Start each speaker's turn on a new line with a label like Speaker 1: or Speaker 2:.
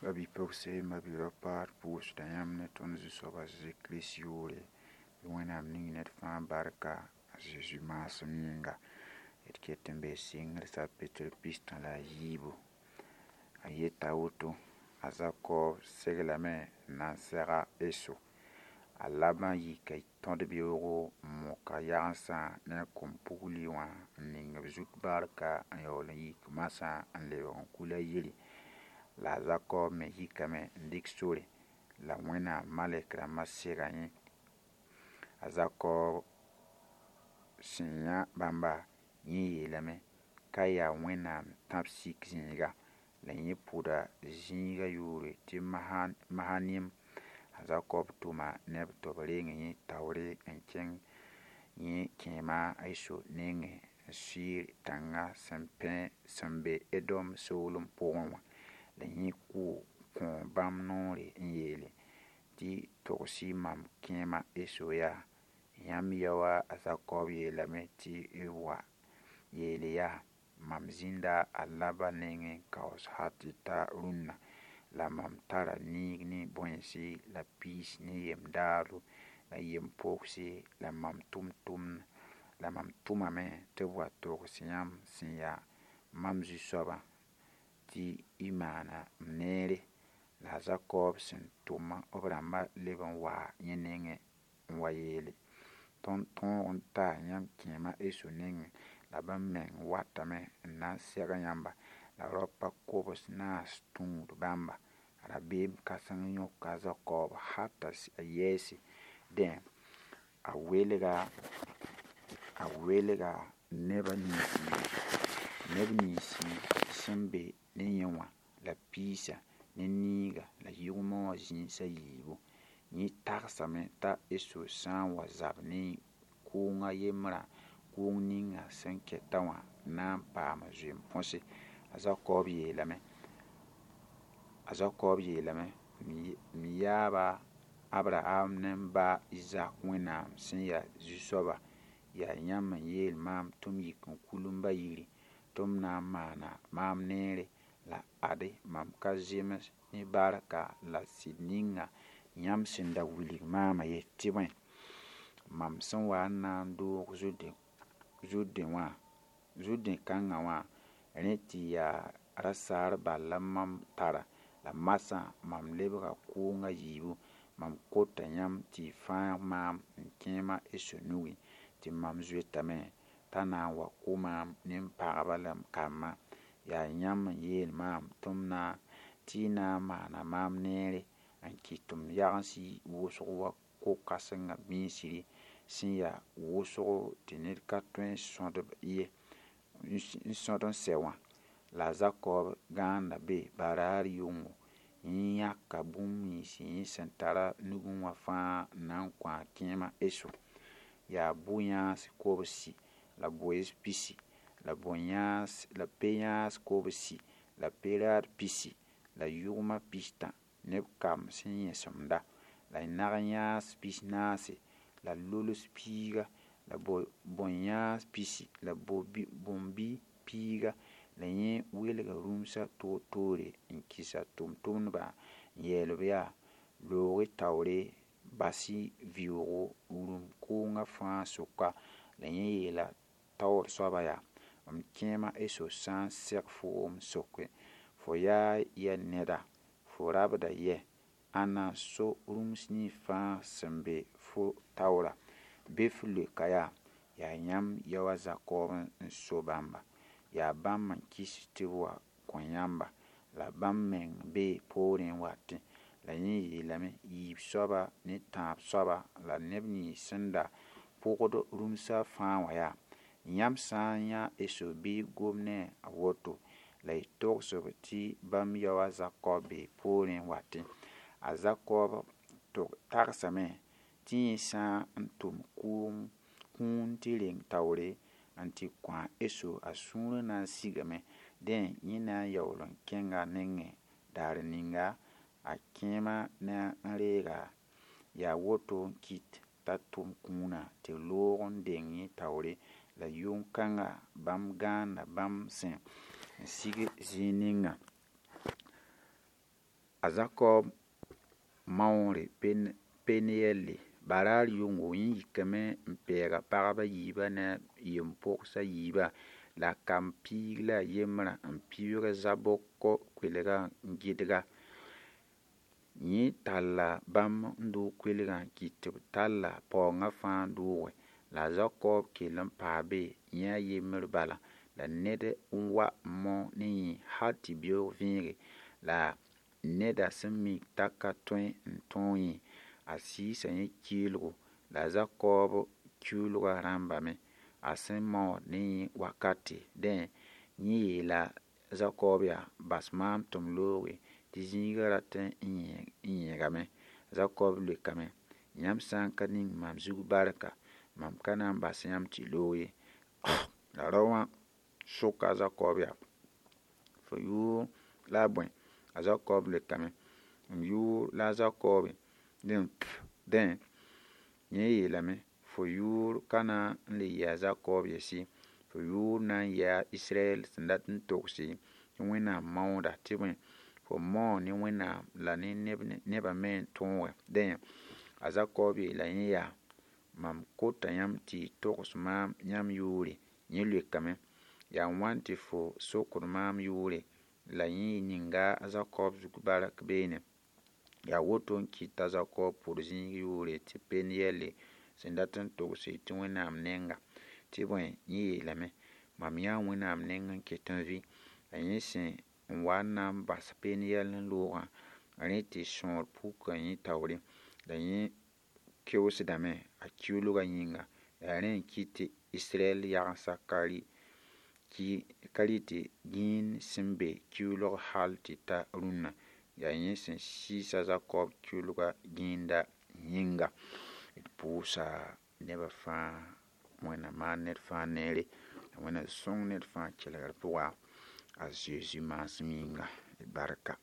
Speaker 1: Ba-bi-pogse, ma-bi-raopa, d pʋʋsda yãmb ne tõnd Zu-soab a Zezi Kirist yʋʋre, bɩ Wẽnnaam ning ned fãa barka a Zezi maasem yĩnga. D ket n bee sɩngr sapɩtr 63. A yeta woto, a Zakɔb seglame n na n seg a Eso. A Labã yika tõd-beoogo n mok a yagensã ne a kom-pugli wã n ning b zut barka n yaool n yik masã n lebg n kul a yiri. La a Zakɔb me yikame n dɩk sore la Wẽnnaam malɛk rãmbã sega yẽ. A Zakɔb sẽn yã bãmba, yẽ yeelame ka yaa Wẽnnaam tãb-sik zĩiga. La yẽ pʋda zĩigã yʋʋre tɩ Mahanim. A Zakɔb tʋma neb tɩ b reng yẽ taoore n kẽng yẽ kẽema a Eso nengẽ n Seir tãnga sẽn be Edom soolem pʋgẽ wã. La yẽ kõ bãmb noore n yeele tɩ togs-y mam kẽema Eso yaa: Yãmb yao a Zakɔb yeelame tɩ y wa yeele yaa: Mam zĩnda a Labã nengẽ kaoos hal tɩ ta rũnna, la mam tara niig ne bõensi la piis ne yem-daado la yem-pogse la mam tʋmame tɩ b wa togs yãmb sẽn yaa mam zu-soabã tɩ y maana m neere. La a Zakɔb sẽn tʋm b rãmbã leb n waa yẽ nengẽ n wa yeele: Tõnd tõog n taa yãmb kẽema Eso nengẽ la bãmb meng watame n na n seg yãmba. La raopã kobs naas tũud bãmba. Rabeem kãseng yõka a Zakɔb hal t'a yɛɛse. Dẽ, a welga neb ninsi sẽn be ne yẽ wã la piisã ne niigã la yʋgmã wã zĩis a yiibu. Yẽ tagsame t'a Eso sã n wa zab ne kʋʋng a yembrã, kʋʋng ninga sẽn kɛtã wã na n paama zoe-põse. A Zakɔb yeelame: M yaaba Abraham ne m ba Izak Wẽnnaam sẽn yaa Zu-soaba, yaa yãmb n yeel maam tɩ m yik n kul m ba yiri tɩ m na n maana maam neere. La ade mam ka zems ne barka la sɩd ninga yãmb sẽn da wilg maamã ye, tɩ bõe, mam sẽn wa n na n doog Zʋrdẽ kãngã wã, rẽ tɩ yaa rasaar bal la mam tara. La masã mam lebga kʋʋng a yiibu. Mam kota yãmb tɩ y fãag maam m kẽema Eso nugẽ, tɩ mam zoetame t'a na n wa kʋ maam ne m pagba la m kambã. Yaa yãmb n yeel maam tɩ y na n maana maam neere n kɩt tɩ m yagens yi wʋsg wa ko-kãsengã bĩsri sẽn yaa wʋsgo tɩ ned ka tõe n sõd n sɛ wã. La a Zakɔb gãanda be baraar yʋngo. Yẽ yãka bũmb nins yẽ sẽn tar a nugẽ wã fãa n na n kõ a kẽema Eso. Yaa bʋ-yãas kobsi la boees pisi la pe-yãas kobsi la pe-raad pisi la yʋgmã pistã neb kamb sẽn yẽsemda la nag-yãas 14 la lols piiga la bõn-yãas pisi la bõn-bi piiga. La yẽ welga rũmsã toor-toore n kɩs a tʋmtʋmdbã n yeel-b yaa: Loog-y taoore, bas-y vɩʋʋgo rũm kʋʋngã fãa sʋka. La yẽ yeela taoor soabã yaa: M kẽema Eso sã n seg foom n soke: Fo yaa yɛ neda, fo rabda yɛ, ãnna n so rũms nins fãa sẽn be fo taoorã? Bɩ f leoka yaa: Yaa yãmb yao a Zakɔb n so bãmba. Yaa bãmb n kɩs tɩ b wa kõ yãmba, la bãmb meng bee poorẽ n watẽ. La yẽ yeelame: Yiib soaba ne tãab soaba la neb nins sẽn da pʋgd rũmsã fãa wã yaa: Yãmb sã n yã Eso bɩ y gom ne a woto, la y togs-b tɩ bãmb yao a Zakɔb bee poorẽ n watẽ. A Zakɔb tagsame tɩ yẽ sã n tʋm kũun tɩ reng taoore n tɩ kõ a Eso, a sũurã na n sigame. Dẽ, yẽ na n yaool n kẽnga a nengẽ daar ninga a kẽema na n reega. Yaa woto n kɩt t'a tʋm kũunã tɩ loog n deng yẽ taoore. La yʋng-kãngã bãmb gãanda bãmb sẽn n sig zĩig ninga. A Zakɔb maoore Peniyɛlli baraar yʋngo yẽ yikame n pɛɛg a pagb a yiibã ne a yem-pogs a yiibã la a kamb piig la a yembrã n pibg Zabok koelgã n gɩdg-a. Yẽ talla bãmb n doog koelgã n kɩt tɩ b talla paoongã fãa n dooge. La a Zakɔb kell n paa be yẽ a yembr bala la ned n wa n mao ne yẽ hal tɩ beoog vẽege la neda sẽn mik t'a ka tõe n tõog yẽ, a sɩɩsa yẽ kɩɩlgo la a Zakɔb kiuulgã rãmbame a sẽn maood ne yẽ wakate. Dẽ, yẽ yeela Zakɔb yaa: Bas maam tɩ m looge tɩ zĩigã rat n yẽegame. Zakɔb leokame: Yãmb sã n ka ning mam zug barka, mam ka na n bas yãmb tɩ y loog ye. La rao wã soka a Zakɔb yaa: Fo yʋʋr la a bõe? A Zakɔb leokame: M yʋʋr la a Zakɔbe. Dẽ, yẽ yeelame: Fo yʋʋr ka na n le yɩ a Zakɔb yɛs ye, fo yʋʋr na n yaa Israɛl sẽn dat n togse tɩ Wẽnnaam maooda tɩ bõe, fo mao ne Wẽnnaam la ne nebã me n tõoge. Dẽ, a Zakɔb yeela yẽ yaa: Mam kota yãmb tɩ y togs maam yãmb yʋʋre. Yẽ leokame: Yaa wãn tɩ fo sokd maam yʋʋre? La yẽ ninga a Zakɔb zug bark beene. Yaa woto n kɩt t'a Zakɔb pʋd zĩig yʋʋre tɩ Peniyɛlli sẽn dat n togse tɩ Wẽnnaam nenga. Tɩ bõe, yẽ yeelame: Mam yãa Wẽnnaam neng n ket n vɩ. La yẽ sẽn n wa n na n bas Peniyɛl n loogã, rẽ tɩ sõor puka yẽ taoore. La yẽ keoosdame a kiuulgã yĩnga. La rẽ n kɩt tɩ Israɛl yagensa ka rɩ tɩ gĩin sẽn be kiuulg hal tɩ ta rũnna. Yaa yẽ sẽn sɩɩs a Zakɔb kiuulgã gĩinda yĩnga. D pʋʋsa nebã fãa Wẽnnaam maan ned fãa neere la Wẽnnaam sõng ned fãa kelgr pʋga a Zeezi maasem yĩnga. D barka.